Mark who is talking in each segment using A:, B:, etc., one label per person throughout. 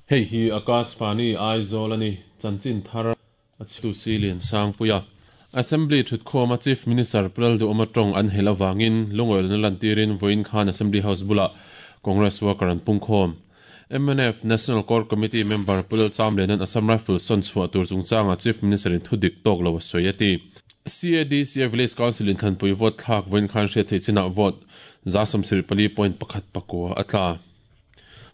A: Hei hi Akashvani Aizawl a ni, chanchin thar a chhitu si Liansangpuia. Assembly thutkhawma Chief Minister Pu Lalduhawma tawng an helh avangin lungawilna lantirin vawiin khan Assembly House bulah Congress worker an pungkhawm. Mnf National Core Committee member Pu Lalchamliana'n Assam Rifles sawn chhuah tur chungchangah Chief Minister-in thu dik tawk lo a sawi a ti. CADCA Village Council inthlanpui vote thlak vawiin khan hriat theih chinah vote 74.19 a tla.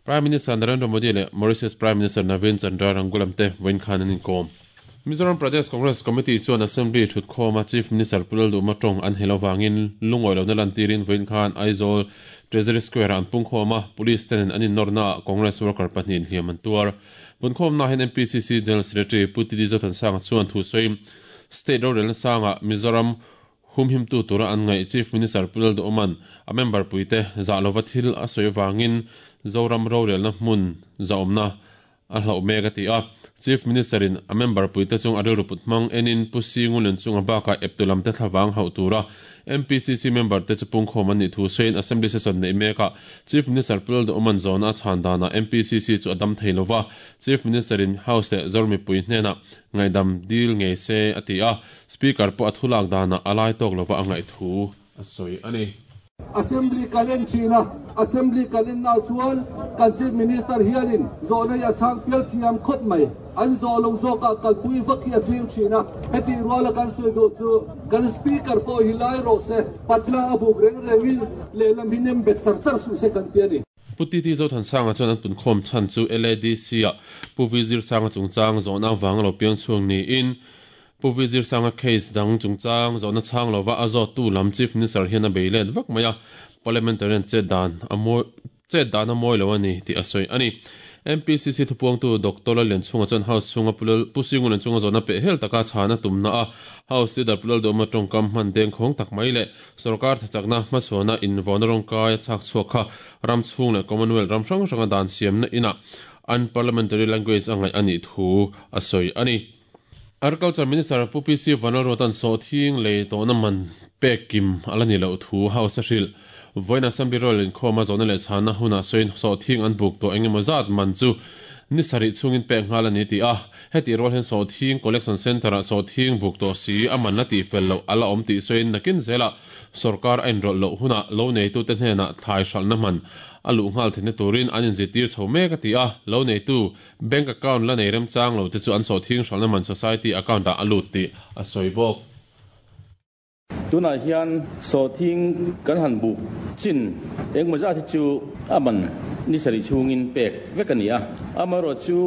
A: Prime Minister Narendra Modi leh Mauritius Prime Minister Navin Chandra Ramgoolam te vawiin khan an inkawm. Mizoram Pradesh Congress Committee chuan Assembly thutkhawma Chief Minister Pu Lalduhma tawng an helh avangin lungawi lohna lantirin vawiin khan Aizawl Treasury Square-ah an pungkhawm a, Police ten an inawrnaah Congress worker pahnihin hliam an tuar. Punkhawmnaah hian MPCC General Secretary Pu TD Zothansanga chuan thu sawiin State rorelna sangah Mizoram Humhimtu tura an ngaih Chief Minister Pu Lalduhawma'n a member puite zah lova thil a sawi avangin Zoram rorelna hmun zahawmna a hlauh mek a ti a. Chief Minister-in a member puite chung a rilru put hmang enin Pu Singulen chunga bakah eptu lamte thlavang hauh tura MPCC member te chu pungkhawm an nih thu sawiin Assembly session neih mekah Chief Minister Pu Lalduhawma'n zawhna a chhan danah MPCC chu a dam thei lova, Chief Minister-in House leh Zoram mipui hnenah ngaihdam dil ngei se a ti a. Speaker pawh a thulak danah a lai tawk lova a ngaih thu a sawi a ni.
B: Assembly kan en thin a, Assembly kan en nah chuan kan Chief Minister hianin zawhna hi a chhang pial thiam khawp mai. An zawh lo zawkah kalpui vak hi a ching thin a, hetih ruala kan sawi duh chu kan Speaker pawh hi lai rawh se, patla a buk reng rengin lehlam hi nem bet char char suh se kan ti a ni.
A: Pu TT Zothansanga chuan an punkhawm chhan chu LADC-ah Pu V Zirsanga chungchang zawhna avanga lo piang chhuak niin Pu V Zirsanga case dang chungchang zawhna chhang lova a zawttu lam Chief Minister hian a bei let vak mai a, Parliamentarian chet dan a mawi chet dan a mawi lo a ni tih a sawi a ni. MPCC thupuangtu Doctor Lallianchhunga chuan House chhunga Pu Lal Pu Singulian chunga zawhna peh hel taka chhan a tumna a, House Leader Pu Lalduhawma tawngkam hman dengkhawng tak mai leh Sorkar thachakna hmachhuana invawn rawngkai a chhak chhuak kha ram chhung leh Commonwealth ram hrang hranga dan siamna inah unparliamentary language a ngaih a nih thu a sawi a ni. Agriculture Minister Pu PC Vanlalruata'n sawhthing lei tawhna man pek kim a la ni loh thu House a hrilh. Vawiin Assembly Royal inkhawma zawhna leh chhanna hunah sawiin sawhthing an buk tawh engemaw zat man chu ni sarih chhungin pek nghal a ni tih a, hetih rual hian sawhthing collection centre-ah sawhthing buk tawh si a man la tihfel loh a la awm tih sawiin nakin zelah sawrkar a inrawlh loh hunah lo neitute hnenah thlai hralhna man a luh nghal theihna turin an inzirtir chho mek a ti a, lo neitu Bank account la nei remchang lo te chu an sawhthing hralhna man society account ah a lut tih a sawi bawk.
C: Tunah hian sawhthing kan han buk chin engmaw zat hi chu a man ni sarih chhungin pek vek a ni a. Amaherawh chu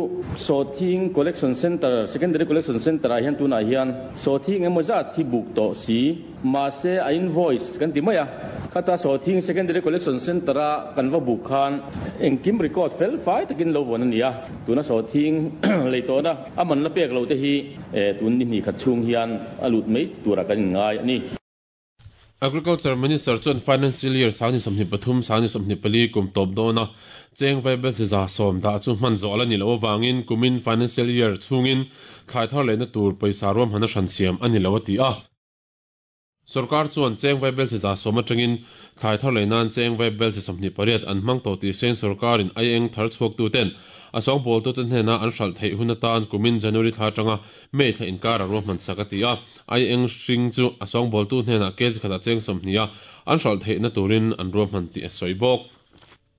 C: sawhthing collection centre, secondary collection centre ah hian tunah hian sawhthing engmaw zat hi buk tawh si Mahse, a invoice kan ti mai a, khata Sawhthing Secondary Collection Centre-a kan va buk khan engkim record fel fai takin lo vawn a ni a, tuna Sawhthing lei tawhna a man la pek lo te hi tun ni hnih khat chhung hian a lut mai turah kan inngai a ni.
A: Agriculture Minister chuan Financial Year 2023, 2024 kum tawp dawna cheng vaibel chi 70% dah chu hman zawh a la ni loh avangin kumin Financial Year chhungin thlai thar lehna tur pawisa ruahmanna hran siam a ni lo a ti a. Sorkar chuan cheng vaibel chi 70% atangin thlai thar lei nan cheng vaibel chi 28 an hmang tawh tih hriain sorkarin ai eng thar chhuaktuten a sawngbawltute hnena an hralh theih hun atan kumin January thla atanga May thla inkar a ruahman sak a ti a. Ai eng hring chu a sawngbawltu hnenah kg khatah cheng 20 a an hralh theihna turin an ruahman tih a sawi bawk.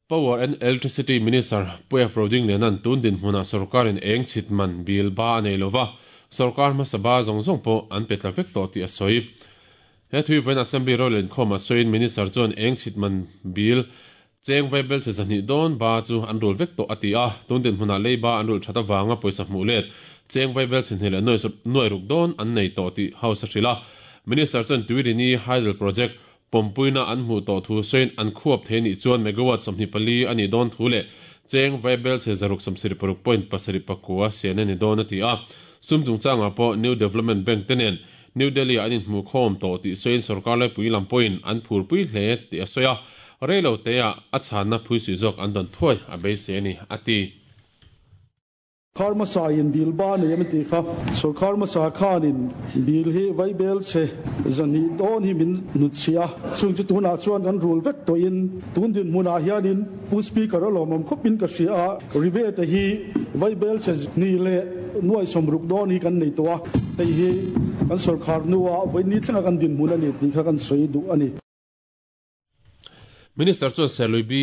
A: Power and Electricity Minister Pu F. Rodingliana'n tun dinhmunah sorkarin eng chhit man bill ba a nei lova, sorkar hmasa ba zawng zawng pawh an pe tla vek tawh tih a sawi. He thui vawiin Assembly rorel inkhawmah sawiin Minister chuan eng chhit man bill cheng vaibel chhe 200 dawn ba chu an rul vek tawh a ti a, tun dinhmunah lei ba an rulh that avanga pawisa hmuh let cheng vaibel chhe hnih leh nuai ruk dawn an nei tawh tih House a hrilh a. Minister chuan Tuirini Hydel Project Pawmpuina an hmuh tawh thu sawiin an khuap thei nih chuan megawatt 24 a nih dawn thu leh cheng vaibel chhe 676 point pasarih pakua sian a ni dawn a ti a. Sum chungchangah pawh New Development Bank te nen New Delhi-ah an inhmuhkhawm tawh tih sawiin sorkar laipui lam pawhin an phurpui hle tih a sawi a, reilo teah a chhanna phuisui zawk an dawn thuai a beisei a ni, a ti.
D: Sorkar hmasa in bill ba nei em tih kha sorkar hmasa khanin bill hi vaibel chhe 200 dawn hi min hnutchhiah a, chung chu tunah chuan kan rul vek tawhin tun dinhmunah hianin Pu Speaker a lawmawm khawpin ka hria a, rebate hi vaibel chhe hnih leh nuai 60 dawn hi kan nei tawh a, hei hi kan sorkar hnua vawiin thlenga kan dinhmun a ni tih kha kan sawi duh a ni.
A: Minister chuan Serlui B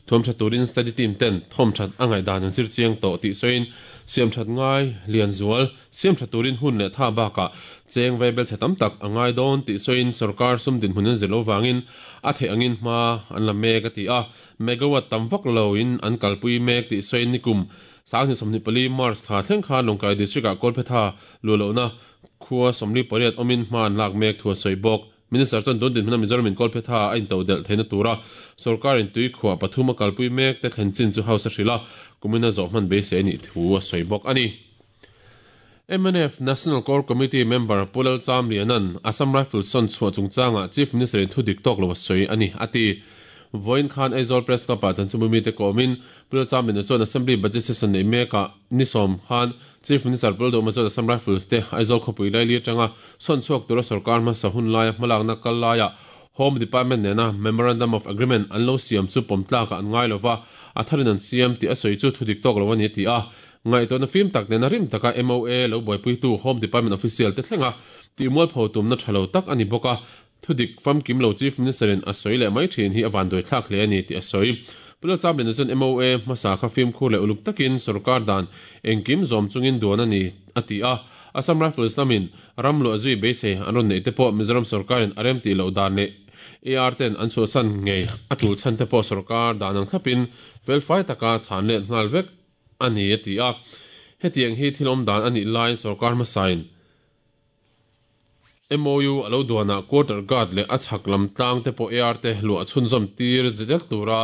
A: thuam tha turin study team ten thawm that a ngaihdan an zir chiang tawh tih sawiin siam that ngai lian zual siam tha turin hun leh tha bakah cheng vaibel chhe tam tak a ngai dawn tih sawiin sorkar sum dinhmun an zir lo vangin a theih angin hma an la mek a ti a. Megawatt tam vak loin an kalpui mek tih sawiin nikum 2024 March thla thleng khan Lawngtlai District ah Kawlphetha luhlohna khua 48 awmin hma an lak mek thu a sawi bawk. Minister chuan tun dinhmuna Mizoram in Kawlphetha a intodelh theihna tura sorkarin tui khuah pathum a kalpui mek te thlen chin chu House a hrilh a, kumina zawh hman beisei a nih thu a sawi bawk a ni. Mnf National Core Committee member Pu Lalcham Liana'n Assam Rifles sawn chhuah chungchangah Chief Minister in thu dik tawk lo a sawi a ni, a ti. Vawiin khan Aizawl Press Club ah chanchinbu mite kawmin Pu Lalcham Liana chuan Assembly Budget Session neih mekah ni sawm khan Chief Minister Pu Lalduhma chuan Assam Rifles te Aizawl khawpui laili atanga sawn chhuak tura sorkar hmasa hun laia hmalakna kal laiah Home Department nena Memorandum of Agreement an lo siam chu pawm tlakah an ngai lova, a tharin an siam tih a sawi chu thudik tawk lo a ni a ti a. Ngaihtuahna fim tak nena rim taka MOA lo buaipuitu Home Department official te thlenga tihmualpho tumna tha lo tak a ni bawk a, Thudik famkim lo Chief Minister in a sawi leh mai thin hi a vanduaithlak hle a ni tih a sawi. Pu Lalchamliana chuan MOA hmasa kha fimkhur leh uluk takin sorkar dan engkim zawm chungin duan a ni a ti a. Assam Rifles lamin ram luah zui beisei an rawn neih te pawh Mizoram sorkarin a rem tih loh dan leh AR ten an chhuahsan ngei a tul chhan te pawh sorkar dan ang thlapin felfai taka chhan let nghal vek a ni a ti a. Hetiang hi thil awm dan a nih laiin sorkar hmasain MOU a lo duanah quarter guard leh a chhak lam tlang te pawh AR te luah chhunzawm tir zel tura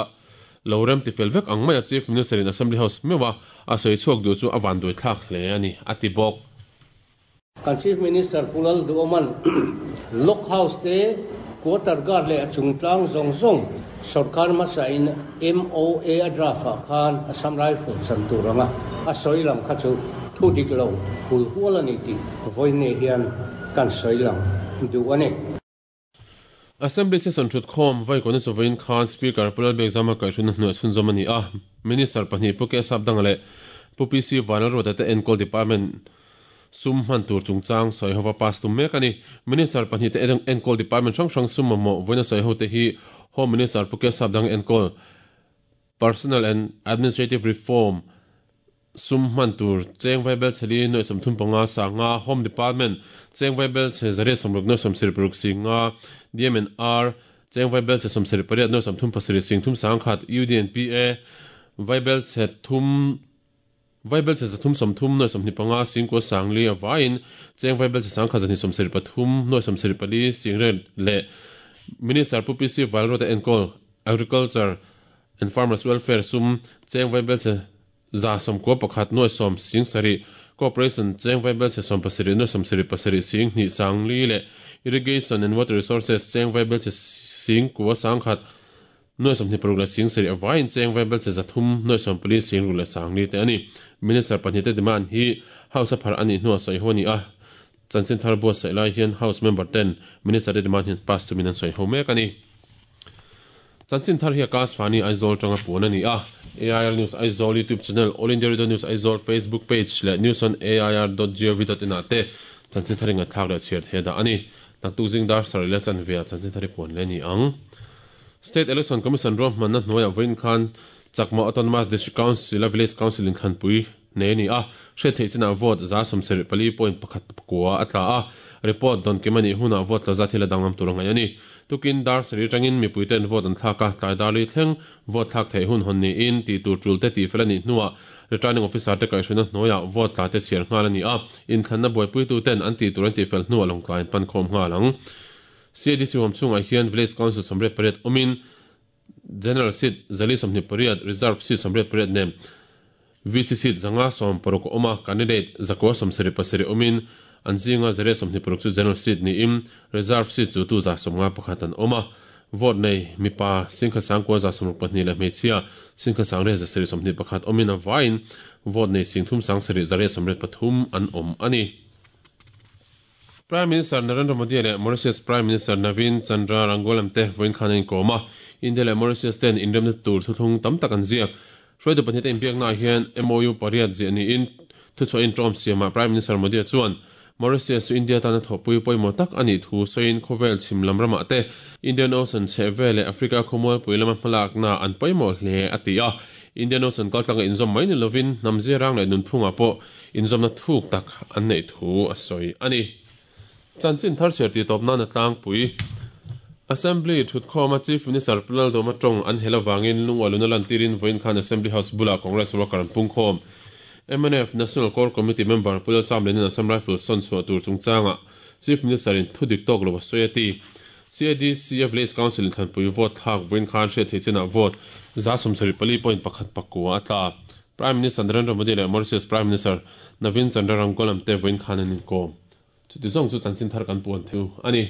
A: lo rem ti fel vek ang maia Chief Minister in Assembly House meuha a sawi chhuak duh chu a vanduai thlak hle a ni, a ti bawk.
E: Kan Chief Minister Pu Lalduhawma'n Lock House te quarter guard leh a chung tlang zawng zawng sorkar hmasain MOA a draft ah khan Assam Rifle chan tur anga a sawi lang kha chu thu dik lo hul hual a ni tih vawiin hian kan sawi lang duh a ni.
A: Assembly session thutkhawm vaikawn chu vawiin khan Speaker Pu Lalbiakzama kaihhruina hnuai chhunzawm a ni a, Minister pahnih Pu Kesap Danga leh Pu PC Vanlalruata te enkawl department sum hman tur chungchang sawi hova pass tum mek a ni. Minister pahnih te enkawl department hrang hrang sum mamawh vawiina sawi ho te hi Home Minister Pu Kesap Danga enkawl Personnel and Administrative Reform sum hman tur cheng vaibel chhe li nuaih 35 sanga Home Department cheng vaibel chhe 160 nuaih 76 singa DMNR cheng vaibel chhe 78 nuaih 37 sing thum sangkhat UDNPA vaibel chhe thum vaibel chhe 330 nuaih 25 singkua sangli a vaiin cheng vaibel chhe sangkhat 273 nuaih 74 singre leh Minister Pu PC Vanlalruata enkawl Agriculture and Farmers Welfare sum cheng vaibel chhe 91 nuaih 10 sing sarih, Cooperation cheng vaibel chhe 17 nuaih 77 sing hnih sang li leh Irrigation and Water Resources cheng vaibel chhe sing kua sang khat nuaih 26 leh sing sarih avaiin cheng vaibel chhe 300 nuaih 14 sing ruk leh sang li te a ni. Minister pahnih te demand hi House a phar a nih hnuah sawi ho a ni a, chanchin thar buatsaih lai hian House member ten Minister te demand hian pass tumin an sawi ho mek a ni. Chanchin thar hi Akash Vani Aizawl tanga puan a ni a, AIR News Aizawl YouTube channel, All India Radio News Aizawl Facebook page leh news on air dot gov dot in ah te chanchin thar i ngaihthlak leh chhiar thei a dah a ni. Naktuk zing dar sarih leh chanve ah chanchin thar i puan leh a ni ang. State Election Commission ruahmanna hnuaiah vawiin khan Chakma Autonomous District Council a Village Council inthlanpui nei a ni a, hriat theih chinah vote 74.1 kua a tla a, report dawn kim a nih hunah vote tla zat hi la danglam tur a ngaih a ni. Tukin dar sarih atangin mipuite'n vote an thlak a, tlai dar li thleng vote thlak theih hun hawn niin tih tur tul te tih fel a nih hnuah returning officer te kaihhruina hnuaiah vote tla te chhiar nghal a ni a, inthlanna buaipuitute'n an tih tur an tih fel hnuah lawngtlai an pan khawm nghal ang. CADC huam chhungah hian Village Council 98 awmin General seat 428, Reserve seat 88 nen VC seat 516 a awm a, candidate 977 awmin an zinga 126 chu General seat niin Reserve seat chutu 151 an awm a. Vote nei mipa 1,962 leh hmeichhia 1,721 awmin a vaiin vote nei 3783 an awm a ni. Prime Minister Narendra Modi leh Mauritius Prime Minister Navin Chandra Ramgoolam te vawiin khan an inkawm a, India leh Mauritius ten inremna tur thuthlung tam tak an ziak. Hruaitu pahnihte inbiaknaah hian MOU pariat ziah niin thuchhuah inṭawm siamah Prime Minister Modi chuan Mauritius chu India tana thawhpui pawimawh tak a nih thu sawiin khawvel chhim lam ramah te Indian Ocean chhehvel leh Africa khawmualpui lama hmalakna an pawimawh hle a ti a. Indian Ocean kaltlanga inzawm mai ni lovin hnam ziarang leh nunphungah pawh inzawmna thuk tak an neih thu a sawi a ni. Chanchin thar chhiar tih tawp nan a tlangpui. Assembly thutkhawma Chief Minister Pu Laldawma tawng an hel avangin lungualuna lantirin vawiin khan Assembly House bulah Congress worker an pungkhawm. Mnf National Core Committee member Pu Lalchamliana'n Assam Rifles sawn chhuah tur chungchangah Chief Minister in thu dik tawk lo a sawi a ti. CADCF Village Council in thlanpui vote thlak vawiin khan hriat theih chinah vote 74.1 pakua a tla. Prime Minister Narendra Modi leh Mauritius Prime Minister Navin Chandra Ramgoolam te vawiin khan an inkawm. Chuti zawng chu chanchin thar kan puan thu a ni.